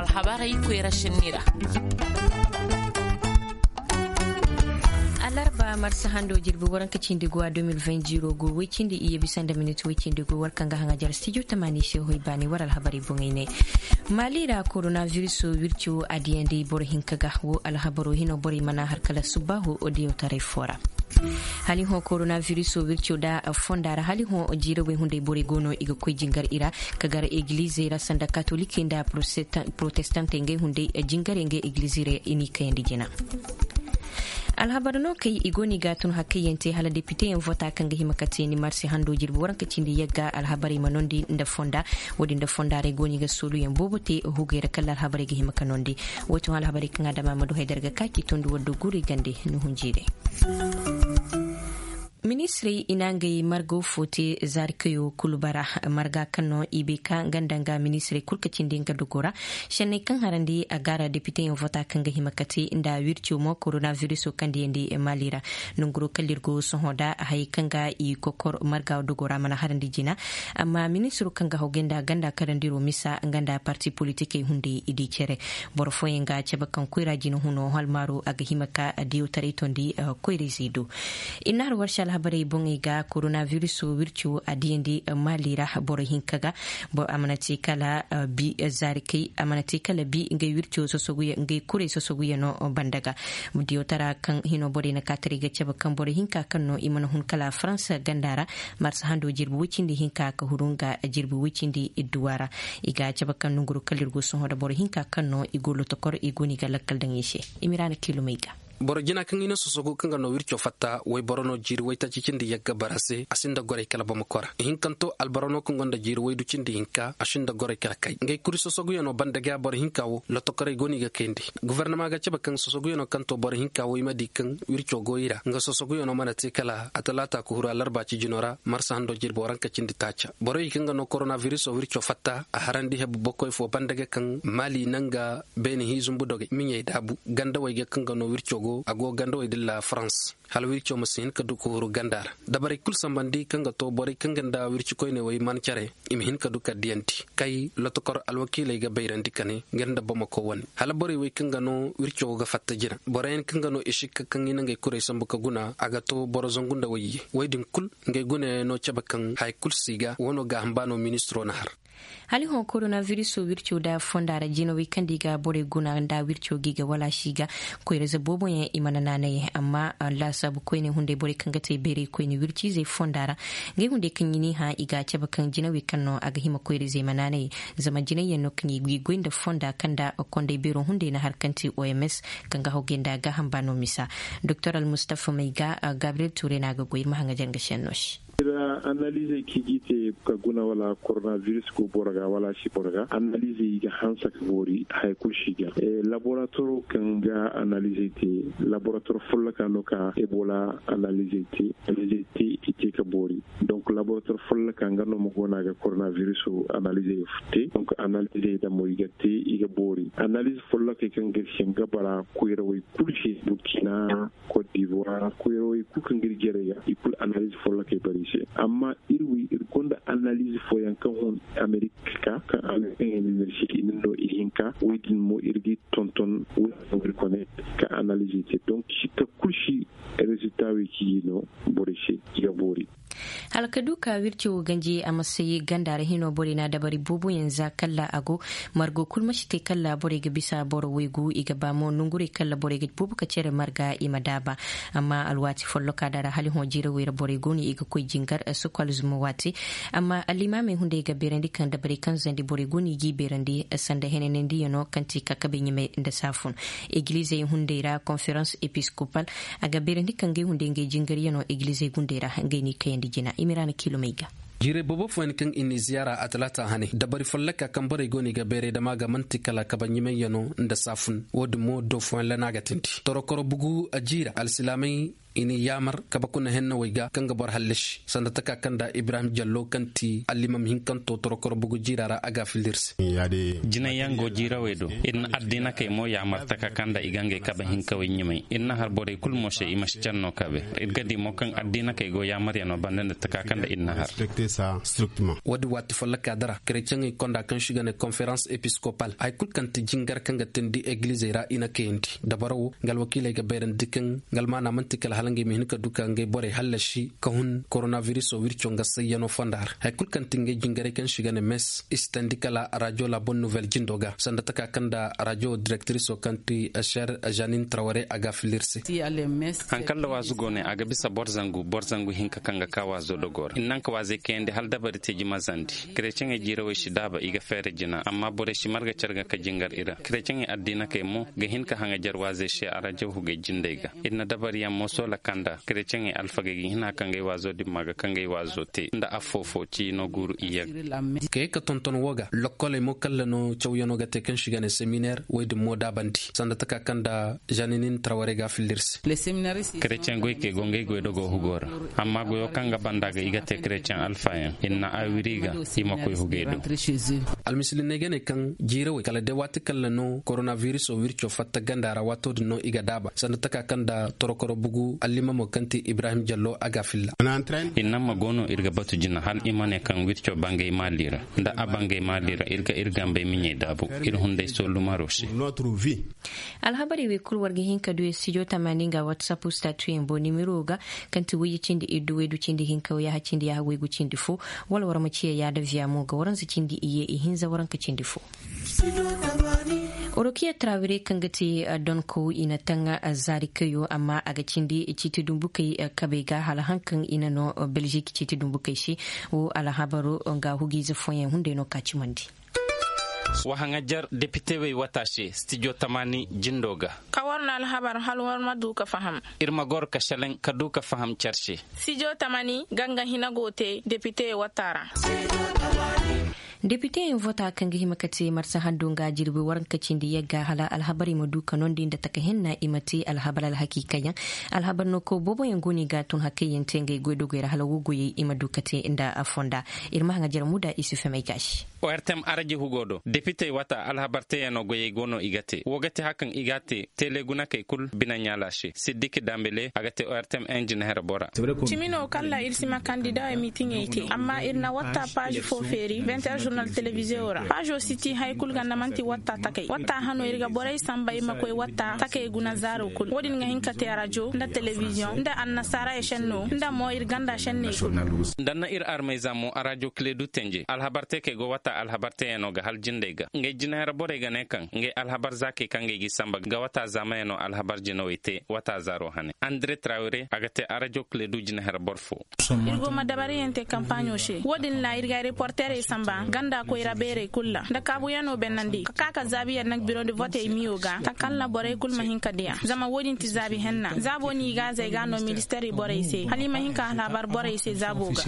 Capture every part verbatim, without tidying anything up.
Alhabarey koyra sinni ra. Alarba marsa hando jirbi waranka cindi go a deux mille vingt ziro go way cindi iyye bisa nda minit way cindi go war kaŋ ga haŋa jare studio tamaani se hoy baani war alhabarey boŋey ne. Mali ra koronaviruso wirco a diyandi boro hinka ga wo alhabaro hino borey mana har kala subbaahu o diyo taray fo ra. Hali hõ koronaviruso wirco da fonda ra hali hõ jiirawey hunday borey go no i ga koy jingar i ra ka gar egilizey ra sanda katolikey nda protestantey ngey hunday jingarey ngey egilizey ra i n'i kayandi jina. Alhabar no kay i go no i ga tun hakkayyaŋ te hala depiteyaŋ vota kaŋ ga hima ka te ni marse hando jirbi waranka cindi yagga alhabarey ma nondi nda fonda. Wo-din nda fonda ra i go no i ga sooluyaŋ boobo te hugey ra kala alhabarey ga hima ka nondi. Wo-din alhabarey kaŋ a dama ma du haydar ga ka k'i tondi waddo guurey gande ni hunjiirey. Ministirey i na ngey margo fo te zaari kayo kulu bara marga kaŋ no i bay ka nga nda nga ministirey kulu ka cindi nga dogo ra. Sanney kaŋ harandi a gaara depiteyaŋ vota kaŋ ga hima ka te nda wirco mo koronaviruso kaŋ diyandi mali ra. Nanguro kala iri go sohõ da hayey kaŋ ga i kokor marga dogo ra mana harandi jina. Amma ministiro kaŋ ga hawgay nda ganda karandiro misa nga nda parti politikey hunday i di care. Boro fooyaŋ ga cabe kaŋ koyra jina huno halmaaro a ga hima ka diyawtaray tondi koyrayzey do. I na har warsa alhabarey boŋey ga koronaviruso wirco a diyandi mali ra boro hinka ga. A mana te kala bi zaari kay a mana te kala bi ngey wirco sosoguyaŋ ngey kuray sosoguyaŋo banda ga. Diyawtara kaŋ hino borey na kaataray ga cabe kaŋ boro hinka kaŋ no i mana hun kala faransa ganda ra. Marsa hando jirbi way cindi hinka ka huru nga jirbi way cindi idduwa ra. I ga cabe kaŋ nanguru kala iri go sohõ nda boro hinka kaŋ no i go lotokor i go no i ga lakkal daŋ i se. I ma i ra na kiilumey ga. Boro jina kaŋ i na sosogu kaŋ ga no wirco fatta wayboro no jiiri waytaaci cindi yagga bara se a sinda goray kala bamako ra ihinkanto alboro no kaŋ gonda jiiri waydu cindi hinka a sinda goray kala kay ngey kuri sosoguyaŋo banda ga boro hinka wo lotokorey go no i ga kayandi. Gofornama ga cabe kaŋ sosoguyaŋo kaŋ to boro hinka wo i ma di kaŋ wirco go i ra nga sosoguyaŋo mana te kala a talaata ka huru alarba cijino ra marsa hando jirbi waranka cindi taaca borey kaŋ ga no koronaviruso wirco fatta a harandi hebu bokoy fo banda ga kaŋ mali nanga beene hi zumbu dogey miɲey daabu gandawey ga kaŋ ga no wirco go a go gandawey dilla farans hala wirco ma si hin ka du ka huru ganda ra. Dabarey kulu sambandi kaŋ ga to borey kaŋ ga nda wirci koyney wey man care i ma hin ka du ka diyandi kay lotokor alwakiiley ga bayrandi ka ne ngey nda bamako wane hala borey wey kaŋ ga no wirco go ga fatta jina boroyaŋ kaŋ ga no i sikka kaŋ i na ngey kurey sambu ka guna a ga to boro zangu nda wayye wey din kulu ngey gunayaŋ no cabe kaŋ haya kulu si ga wano gaaham ba no ministiro na har. Hala i hõ koronaviruso wirco nda fonda ra jinawey kaŋ da i ga borey guna nda wirco ga i ga wala si ga koyra za boobo yaŋ i mana naanay amma laasaabu koyne hunday borey kaŋ ga te bayray koyne wirciizey fonda ra ngey hunday kaŋ i n'i hã i ga a cabe kaŋ jinawey kaŋ no a ga hima koyra izey ma naanay zama jinay yaŋ no kaŋ i ga i goy nda fonda kaŋ nda konday beero hunday na har kaŋ te oms kaŋ ga hawgay nda gaaham ba no misa. Doktor almustafa may ga gabriel ture no a ga goy iri ma haŋajar nga senno se. Iri ra analizey kaŋ i ga i te ka guna wala koronaviris go boro ga wala a si boro ga analizey i ga hanse ka boori haya kulu si ga laboratoro kaŋ ga analizey te laboratoro folloka no ka ebola analizey te analizey te i te ka boori. Donc laboratoro folloka nga no ma go no a ga koronaviris analizey te donc analizey da mo i ga te i ga boori analiz follokey kaŋ ga iri se nga bara koyrawey kulu se burkina, cote d'ivoire koyrawey kulu kaŋ ga iri jarey ga i kulu analiz follokey bara i se. Amma iri wi iri gonda analiz fooyaŋ kaŋ hun amerik ka kaŋ amerik kaŋ université i na no ihinka wey din mo iri ga i tonton wey kaŋ iri kone ka analiz i te donc sikka kulu si. Rezilta wey kaŋ i no borey se i ga boori. Hala ka du ka wirco wo ganji a ma say ganda ra hino borey na dabari boobo yaŋ za kala a go margo kulu ma si te kala borey ga bisa boro waygu i ga ba mo nongurey kala borey ga boobo ka care marga i ma daaba. Amma alwaati folloka da ra hala hõ jiirawey ra borey go no i ga koy jingar sokol zuma waati. Amma allimaamey hunday ga beerandi kaŋ dabarey kaŋ zandi borey go no i g'i beerandi sanda henanandiyano kaŋ ti kakabey ɲumey nda saafun. Egilizey hunday ra konferans episkopal a ga beerandi kaŋ ngey hunday ngey jingaryano egilizey gunday ra ngey n'i kayandi jina i ma i ra na kiilumey ga. Jiirey boobo fooyaŋ kaŋ i n'i ziyaara a talaata hane dabari folloka kaŋ borey go no i ga beeray dama ga manti kala kaba ɲumayyano nda saafun wo-din mo do fooyaŋ lana ga tindi torokoro bugu jiira alsilaamey. I n'i yaamar kabe kuna hennawey ga kaŋ ga boro hallasi sanda taka kaŋ nda ibrahim jallo kaŋ ti allimam hinkanto torokoro bugu jiira ra a ga a filla iri se. Jinayyaŋ go jiirawey do. Iri na addiinakey mo yaamar taka kaŋ nda i ga ngey kabe hinkawey ɲumay. Iri na har borey kulu mo se i ma si care no kabe. Iri ga di mo kaŋ addiinakey go yaamaryaŋo banda nda taka kaŋ nda iri na har. Wo- din waati folloka dara kereceŋey konda kaŋ si ga ne konferans episkopal hari kulu kaŋ ti jingar kaŋ ga teendi egilizey ra i na kayandi dabaro wo nga alwakiiley ga bayrandi kaŋ nga almaana manti kala hala ngey ma hin ka du ka ngey borey hallasi ka hun koronabiriso wirco nga sayyano fonda ra hari kulu kaŋ ti ngey jingarey kaŋ si ga ne mes i si teendi kala rajo labon nouvelle jindo ga sanda taka kaŋ nda rajo direktiriso kaŋ ti sher janin traware a ga a filla iri se. Hari kaŋ nda waazu go ne a ga bisa boro zangu boro zangu hinka kaŋ ga ka waazo dogo ra i na naŋ ka waazey kayandi hala dabari te jimazandi. Kereceŋey jiirawey si daaba i ga feere jina amma borey si marga care ga ka jingar i ra. Kereceŋey addiinakey mo ga hin ka haŋajer waazey se arajo hugey jindey ga. Iri na dabariyaŋ mo soola kaŋ nda kereceŋey alfagey ga hin a kaŋ ga ay waazo dimma ga kaŋ ga ay waazo te nda affoofo ciino guuru iyye ga. Ka ye ka tonton wo ga lokkoley mo kalla no cawyano ga te kaŋ si ga ne seminer wo- din mo daabandi sanda taka kaŋ nda janinin traware ga a filla iri se. Kereceŋ goykey go ngey goy dogo hugo ra. Amma goyo kaŋ ga banda ga i ga te kereceŋ alfayaŋ i na a wiri ga i ma koy hugey do. Almisiliney ga ne kaŋ jiirawey kala day waati kalla no koronabiriso wirco fatta ganda ra waato din no i ga daaba sanda taka kaŋ nda torokoro bugu allimamo kaŋ ti ibrahim jallo a ga a filla. I na ma go no iri ga batu jina hala i ma ne kaŋ wirco bangay maali ra. Nda a bangay maali ra iri ga iri gambey miɲey daabu iri hunday soolumaro se. Alhabarey wey kulu war ga hin ka du studio tamaani nga whatsapp statuyaŋ boŋ nimiro ga kaŋ ti wayye cindi iddu waydu cindi hinka wayyaha cindi yaaha waygu cindi fo. Wala war ma ciya yaada viya mo ga waranza cindi iyye ihinza waranka cindi fo. Orokiya trawire kaŋ ga te donko i na taŋ zaari kayo amma a ga cindi ciiti dumbukey kabey ga hala haŋ kaŋ i na no belgique ciiti dumbukey se. Wo alhabaro nga hugiize fooyaŋ hunday no ka cimandi. Wa haŋajer depitewey wata se stijo tamaani jindo ga. Ka war na alhabar hala war ma du ka faham. Iri ma goro ka seleŋ ka du ka faham care se. Stijo tamaani ganga hina go te depitewey wata ra. Depiteyaŋ vota kaŋ ga hima ka te marsa hando nga jirbi waranka cindi yagga hala alhabarey ma du ka nondi nda taka hinna i ma te alhabar alhakiikayaŋ. Alhabar no kaw booboyaŋ go no i ga tun hakayyaŋ te ngey goydogey ra hala wo goyey i ma du ka te nda fonda. Iri ma haŋajer muda isufe may gaasi. Ortem araji hugo do depitey wata alhabar teyaŋo goyey go no i ga te wo ga te hari kaŋ i ga te tele gunakey kulu bine ɲaala se siddiki dambele a ga te ortem enjin here bora. Cimi no kala iri si ma kandida mitiŋey te amma iri na watta paazi fo feeri vingt heures journal televiziyo ra paazo si ti hari kulu ganda manti watta takey watta hano iri ga borey samba iri ma koy watta takey guna zaaro kulu wo- din ga hin ka te rajo nda televiziyoŋ nda annasaara esenno nda mo iri ganda senney kulu. Nda na iri armayza mo arajo kile du tenje alhabar te kay go watta alhabar teyaŋo ga hala jindey ga ngey jinahera borey ga ne kaŋ ngey alhabar zaakey kaŋ ngey g'i samba ga watta zaamayaŋo alhabar jinawey te watta zaaro hane andre trawire a ga te arajo kile du jinahera boro fo. Iri go ma dabariyaŋ te kampaaɲo se wo- din ra iri ga reporterey samba ganda koyra beerey kulu ra nda kaabuyaŋo bennandi ka ka ka zaabiyaŋ naŋ biro nda votey miyo ga takalla borey kulu ma hin ka diya zama wo- din ti zaabi henna zaabo no i gaazey ga no ministeerey borey se hala i ma hin ka alhabar borey se zaabo ga.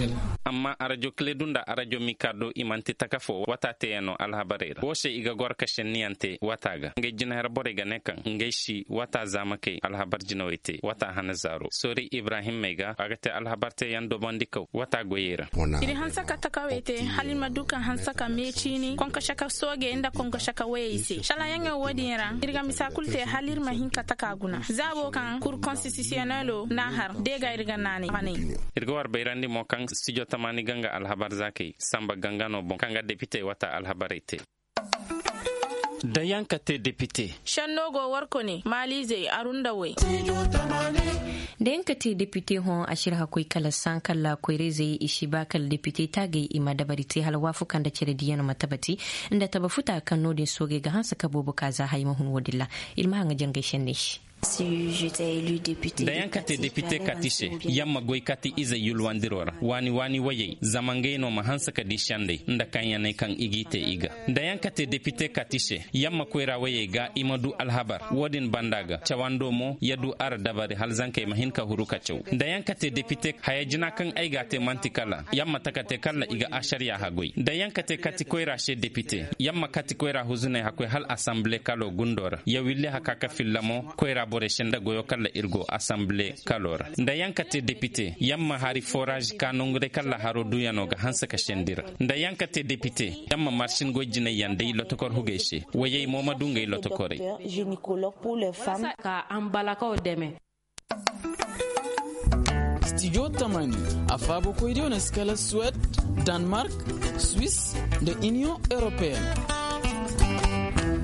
Amma arajo kile du nda arajo mika do i manti taka fo watta teyaŋo alhabarey ra wo se i ga goro ka senniyaŋ te watta ga ngey jinahera borey ga ne kaŋ ngey si watta zaamakey alhabar jinawey te watta hane zaaro soori ibrahim may ga a ga te alhabar teyaŋ dobandi kaw watta goyey ra. Iri hanse ka takawey te hala iri ma du ka hanse ka me ciini konkoshe ka sooge nda konkoshe ka wayey se salayaŋey wo- din ra iri ga misa kulu te hala iri ma hin ka taka guna zaabo kaŋ kur konstisiyonelo n'a har deega iri ga naanay. Iri ga war bayrandi mo kaŋ stijo tamaani ganga alhabar zaakey samba ganga no boŋ kaŋ ga depitey watta alhabarey te. Da yaŋ ka te depite. Senno go warko ne maalizey arundawey. Da yaŋ ka te depite hõ a si ra hakkoy kala sankalla koyrayzey i si ba kala depite taagay i ma dabari te hala waafuka nda care diyaŋ ma tabati nda taba futa kaŋ no- din soogay ga hanse ka boobo ka za hay ma hun wo- din ra. Iri ma haŋ ga jangay senney se. Da yaŋ ka te depite kati se, yaŋ ma goy kati izey yulwandiro ra waani waani wayey zama ngey no ma hanse ka di sendey nda kaŋ yaney kaŋ i g'i te i ga. Da yaŋ ka te depite kati se, yaŋ ma koyra wayey ga i ma du alhabar wo- din banda ga cawando mo ya du ara dabari hala zankey ma hin ka huru ka caw. Da yaŋ ka te depite haya jina kaŋ ay ga a te manti kala yaŋ ma taka te kala i ga asariya hagoy da yaŋ ka te kati koyra se depite, yaŋ ma kati koyra huzuney hakoy hala asamble kalo gundo ra ya willi haka ka filla mo koyra. Borey se nda goyo kaŋ ra iri go asamble kalo ra nda yaŋ ka te depite yaŋ ma hari foraazi ka nangu day kaŋ ra haro duuyano ga hanse ka sendi ra nda yaŋ ka te depite yaŋ ma marsin goy jinay yaŋ day lotokor hugey se. Wayey mo ma du ngey lotokorey. Ka ambalakaw deme. Studio tamani, a faabo koy diyo na si kala Suwed, Danmark, Swiss, nda Union Européenne.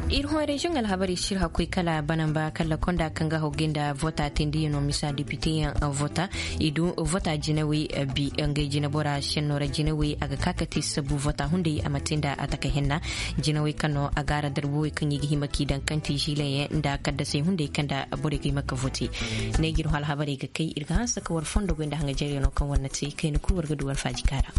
Iri hõ reziyoŋ alhabarey sirha koy kala banamba kala konda kaŋ ga hawgay nda vota teendiyaŋo misa depite yaŋ vota. I du vota jinawey bi ngey jinabora senno ra jinawey a ga ka ka te sabu vota hunday a ma te nda a taka henna. Jinawey kaŋ no a gaara darbowey kaŋ i ga hima k'i daŋ kanti ziilaŋ yaŋ nda kaddasey hunday kaŋ nda borey ga hima ka vote. Ne ga iri hõ alhabarey ga kay iri ga hanse ka war fondo goy nda haŋajeeryaŋo kaŋ war na te kayna kulu war ga du war faaji kaara.